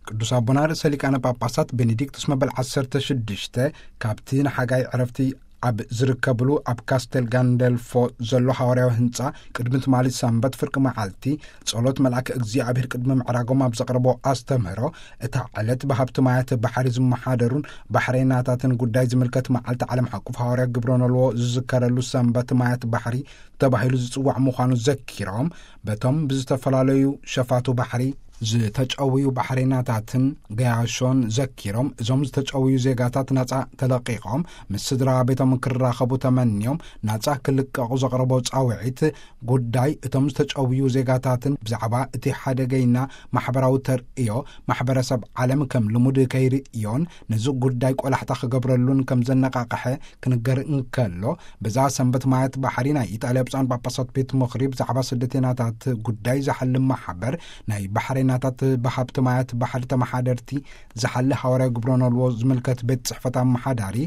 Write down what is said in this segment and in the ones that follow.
ቅዱስ ኣቦና ርእሰ ሊቃነ ጳጳሳት ቤኔዲክቱስ መበል ዓሰርተ ሽዱሽተ ካብቲ ንሓጋይ ዕረፍቲ ኣብ ዝርከብሉ ኣብ ካስተል ጋንደልፎ ዘሎ ሃዋርያዊ ህንጻ ቅድሚ ትማሊ ሰንበት ፍርቂ መዓልቲ ጸሎት መልኣከ እግዚኣብሔር ቅድሚ ምዕራጎም ኣብ ዘቕረቦ ኣስተምህሮ፣ እታ ዕለት ብሃብቲ ማያት ባሕሪ ዝመሓደሩን ባሕሬናታትን ጉዳይ ዝምልከት መዓልቲ ዓለም ሓቁፍ ሃዋርያ ግብረ ነልዎ ዝዝከረሉ ሰንበት ማያት ባሕሪ ተባሂሉ ዝጽዋዕ ምዃኑ ዘኪሮም፣ በቶም ብዝተፈላለዩ ሸፋቱ ባሕሪ ዝተጨውዩ ባሕሬናታትን ገያሾን ዘኪሮም፣ እዞም ዝተጨውዩ ዜጋታት ናጻ ተለቂቖም ምስ ስድራ ቤቶም ክራኸቡ ተመንዮም ናጻ ክልቀቑ ዘቕረቦ ጻውዒት ጉዳይ እቶም ዝተጨውዩ ዜጋታትን ብዛዕባ እቲ ሓደገይና ማሕበራዊ ተርእዮ ማሕበረሰብ ዓለም ከም ልሙድ ከይርእዮን ነዚ ጉዳይ ቆላሕታ ክገብረሉን ከም ዘነቃቕሐ ክንገር እንከሎ፣ በዛ ሰንበት ማያት ባሕሪ ናይ ኢጣልያ ብፁዓን ጳጳሳት ቤት ምኽሪ ብዛዕባ ስደተኛታት ጉዳይ ዝሓልም ማሕበር ናይ ባሕሬናታት ብሃብቲ ማያት ባሕሪ ተመሓደርቲ ዝሓሊ ሃዋርያ ግብረ ነልዎ ዝምልከት ቤት ጽሕፈት ኣመሓዳሪ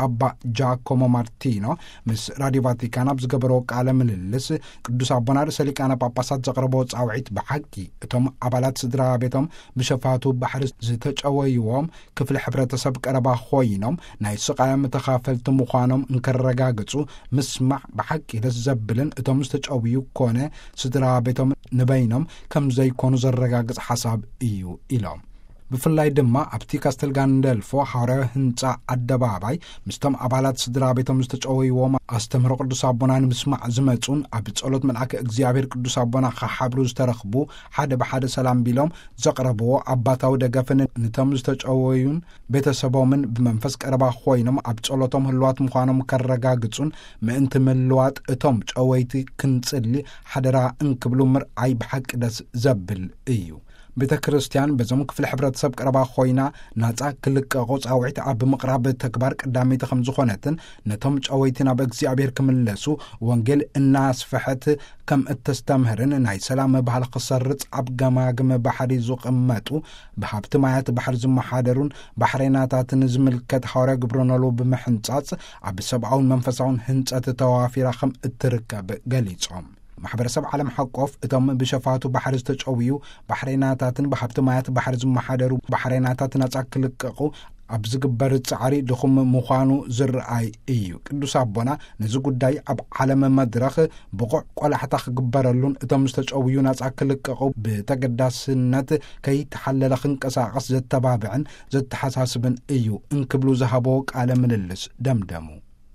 ኣባ ጃኮሞ ማርቲኖ ምስ ራዲዮ ቫቲካን ኣብ ዝገበሮ ቃለ ምልልስ፣ ቅዱስ ኣቦና ርእሰ ሊቃነ ጳጳሳት ዘቕረቦ ጻውዒት ብሓቂ እቶም ኣባላት ስድራ ቤቶም ብሸፋቱ ባሕሪ ዝተጨወይዎም ክፍሊ ሕብረተሰብ ቀረባ ኮይኖም ናይ ስቓዮም ተኻፈልቲ ምዃኖም እንከረጋግጹ ምስማዕ ብሓቂ ደስ ዘብልን እቶም ዝተጨውዩ ኮነ ስድራ ቤቶም ንበይኖም ከም ዘይኮኑ ዘረጋግጽ ሓሳብ እዩ ኢሎም። ብፍላይ ድማ ኣብቲ ካስተል ጋንደልፎ ሃዋርያዊ ህንጻ ኣደባባይ ምስቶም ኣባላት ስድራ ቤቶም ዝተጨወይዎም ኣስተምህሮ ቅዱስ ኣቦና ንምስማዕ ዝመጹን ኣብ ጸሎት መልኣከ እግዚኣብሔር ቅዱስ ኣቦና ክሓብሩ ዝተረኽቡ ሓደ ብሓደ ሰላም ቢሎም ዘቕረብዎ ኣባታዊ ደገፍን ንቶም ዝተጨወዩን ቤተሰቦምን ብመንፈስ ቀረባ ኮይኖም ኣብ ጸሎቶም ህልዋት ምዃኖም ከረጋግጹን ምእንቲ ምልዋጥ እቶም ጨወይቲ ክንጽሊ ሓደራ እንክብሉ ምርኣይ ብሓቂ ደስ ዘብል እዩ። ቤተ ክርስቲያን በዞም ክፍሊ ሕብረተሰብ ቀረባ ኮይና ናጻ ክልቀቑ ጻውዒት ኣብ ምቕራብ ተግባር ቀዳመይቲ ከም ዝኾነትን ነቶም ጨወይቲ ናብ እግዚኣብሔር ክምለሱ ወንጌል እናስፍሐት ከም እተስተምህርን ናይ ሰላም ባህል ክሰርጽ ኣብ ገማግም ባሕሪ ዝቕመጡ ብሃብቲ ማያት ባሕሪ ዝመሓደሩን ባሕሬናታትን ዝምልከት ሃዋርያ ግብረ ኖልዎ ብምሕንጻጽ ኣብ ሰብኣውን መንፈሳውን ህንጸት ተዋፊራ ከም እትርከብ ገሊጾም። ማሕበረሰብ ዓለም ሓቆፍ እቶም ብሸፋቱ ባሕሪ ዝተጨውዩ ባሕሬናታትን ብሃብቲ ማያት ባሕሪ ዝመሓደሩ ባሕሬናታት ናጻ ክልቀቑ ኣብ ዝግበር ጻዕሪ ድኹም ምዃኑ ዝረኣይ እዩ። ቅዱስ ኣቦና ነዚ ጉዳይ ኣብ ዓለም መድረኽ ብቑዕ ቆላሕታ ክግበረሉን እቶም ዝተጨውዩ ናጻ ክልቀቑ ብተገዳስነት ከይተሓለለ ክንቀሳቐስ ዘተባብዕን ዘተሓሳስብን እዩ እንክብሉ ዝሃቦ ቃለ ምልልስ ደምደሙ።